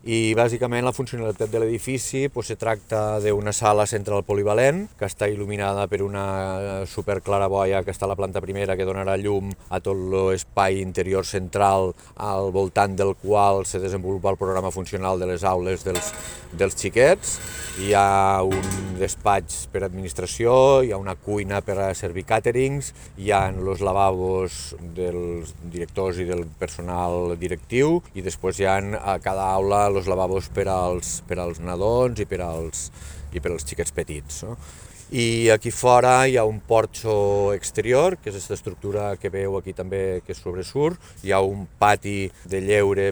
I bàsicament la funcionalitat de l'edifici se tracta d'una sala central polivalent que està il·luminada per una superclaraboia que està a la planta primera que donarà llum a tot l'espai interior central al voltant del qual se desenvolupa el programa funcional de les aules dels xiquets. Hi ha un despatx per administració, hi ha una cuina per a servir càterings, hi ha els lavabos dels directors i del personal directiu i després hi ha a cada aula els lavabos per als nadons i per als xiquets petits. No? I aquí fora hi ha un porxo exterior, que és aquesta estructura que veu aquí també que sobresurt, hi ha un pati de lleure